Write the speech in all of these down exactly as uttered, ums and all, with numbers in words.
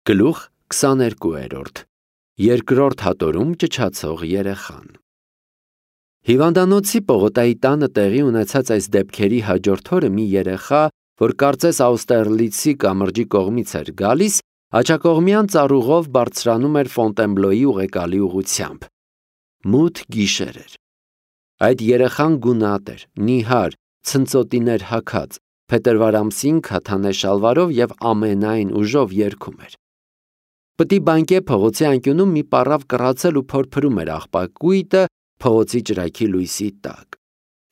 Գլուխ քսաներկու։ Երկրորդ հատորում ճչացող երեխան։ Հիվանդանոցի Պողոտայի տանը տեղի ունեցած այս դեպքերի հաջորդ օրը մի երեխա, որ կարծես Աուստերլիցի կամրջի կողմից էր գալիս, աջակողմյան ծառուղով բարձրանում էր Ֆոնտենբլոյի ուղեկալի ուղղությամբ։ Մութ գիշեր էր։ Այդ երեխան գունատ էր, նիհար, ցնծոտիներ հագած, փետրվար ամսին քաթանե շալվարով և ամենայն ուժով երգում էր։ Պտի բանկե փողոցի անկյունում մի պառավ կռացել ու փորփրում էր աղբակույտը փողոցի ճրագի լույսի տակ։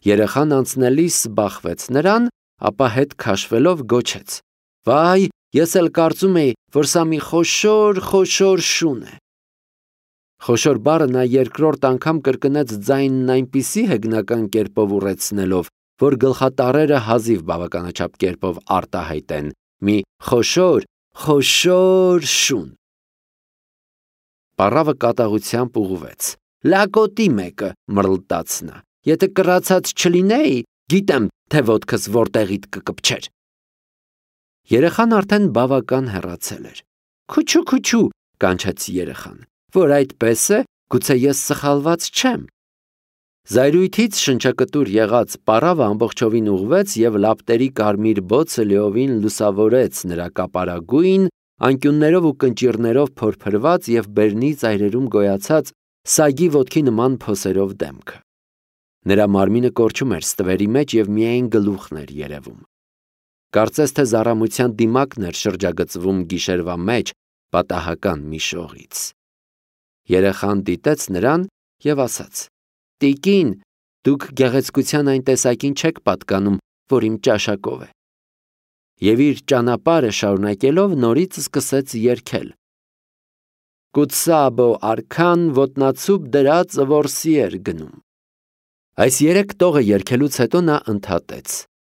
Երեխան անցնելիս բախվեց նրան, ապա հետ քաշվելով գոչեց. «Վայ, ես էլ կարծում էի, որ սա մի խոշոր, խոշոր շուն է»։ Խոշոր բառը նա երկրորդ անգամ կրկնեց ձայնն այնպիսի հեգնական կերպով ուռեցնելով, որ գլխատառերը հազիվ բավականաչափ կերպով արտահայտեն. մի խոշոր, խոշոր շուն։ Պառավը կատաղությամբ ուղղվեց։ «Լակոտի մեկը», մռլտաց նա, «եթե կռացած չլինեի, գիտեմ, թե ոտքս որտեղիդ կկպչեր»։ Երեխան արդեն բավական հեռացել էր։ «Քուչու, քուչու», կանչեց երեխան, «որ այդպես է, գուցե ես սխալված չեմ»։ Զայրույթից շնչակտուր եղած պառավը ամբողջովին ուղղվեց և լապտերի կարմիր բոցը լիովին լուսավորեց նրա կապարագույն, անկյուններով ու կնճիռներով փորփրված և բերնի ծայրերում գոյացած սագի ոտքի նման փոսերով դեմքը։ Նրա մարմինը կորչում էր ստվերի մեջ և միայն գլուխն էր երևում։ Կարծես թե զառամության դիմակն էր շրջագծվում գիշերվա մեջ պատահական մի շողից։ Երեխան դիտեց նրան և ասաց. «Տիկին, դուք գեղեցկության այն տեսակին չեք պատկանում, որ իմ ճաշակով է»։ Եվ իր ճանապարհը շարունակելով նորից սկսեց երգել. «Կուցաբո արքան ոտնացուփ դրած որսի էր գնում»։ Այս երեք տողը երգելուց հետո նա ընդհատեց.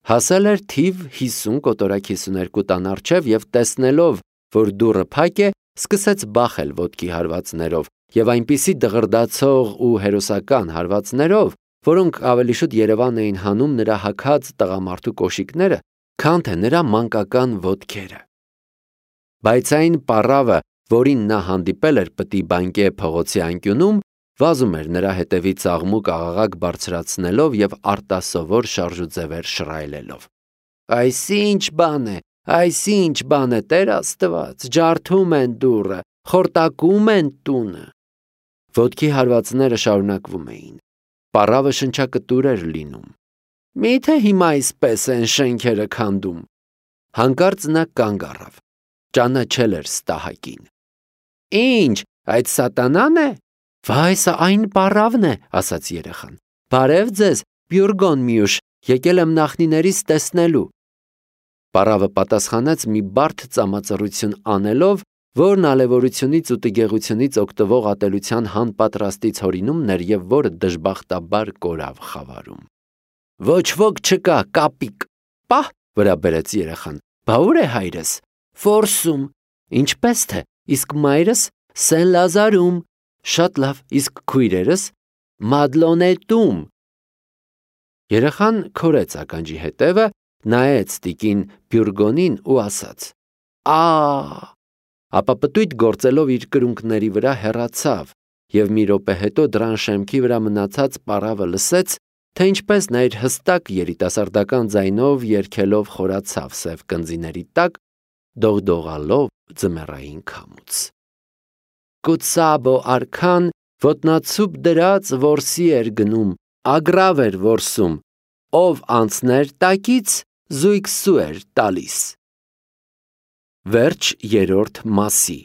հասել էր թիվ հիսուն կոտորակ հիսուներկու տան առջև և տեսնելով, որ դուռը փակ է, սկսեց բախել ոտքի հարվածներով և այնպիսի դղրդացող ու հերոսական հարվածներով, որոնք ավելի շուտ երևան էին հանում նրա հագած տղամարդու կոշիկները, քան թե նրա մանկական ոտքերը։ Բայց այն պառավը, որին նա հանդիպել էր Պտի բանկե փողոցի անկյունում, վազում էր նրա հետևից աղմուկ-աղաղակ բարձրացնելով և արտասովոր շարժուձևեր շռայլելով։ «Այս ի՞նչ բան է, այս ի՞նչ բան է, Տեր Աստված, ջարդում են դուռը, խորտակում են տունը»։ Ոտքի հարվածները շարունակվում էին։ Պառավը շնչակտուր էր լինում։ «Մի՞թե հիմա այսպես են շենքերը քանդում»։ Հանկարծ նա կանգ առավ։ Ճանաչել էր ստահակին։ «Ի՞նչ, այդ սատանա՞ն է»։ «Վայ, սա այն պառավն է», ասաց երեխան։ «Բարև ձեզ, Բյուրգոն Մյուշ, եկել եմ նախնիներիս տեսնելու»։ Պառավը պատասխանեց մի բարդ ծամածռություն անելով, որն ալևորությունից ու տգեղությունից օգտվող ատելության հանպատրաստից հորինումն էր և որը դժբախտաբար կորավ խավարում։ «Ոչ ոք չկա, կապիկ»։ «Պահ», վրա բերեց երեխան, «բա ուր է հայրս»։ «Ֆորսում»։ «Ինչպես թե, իսկ մայրս»։ «Սեն Լազարում»։ «Շատ լավ, իսկ քույրերս»։ «Մադլոնետում»։ Երեխան քորեց ականջի հետևը, նայեց տիկին Բյուրգոնին ու ասաց. «Ա՜», ապա պտույտ գործելով իր կրունկների վրա հեռացավ, և մի րոպե հետո դռան շեմքի վրա մնացած պառավը լսեց, թե ինչպես նա իր հստակ երիտասարդական ձայնով երգելով խորացավ սև կնձիների տակ, դողդողալով ձմեռային քամուց։ «Կուցաբո արքան ոտնացուփ դրած որսի էր գնում, ագռավ էր որսում, ով անցներ տակից, զույգ սու էր տալիս»։ Վերջ երրորդ մասի։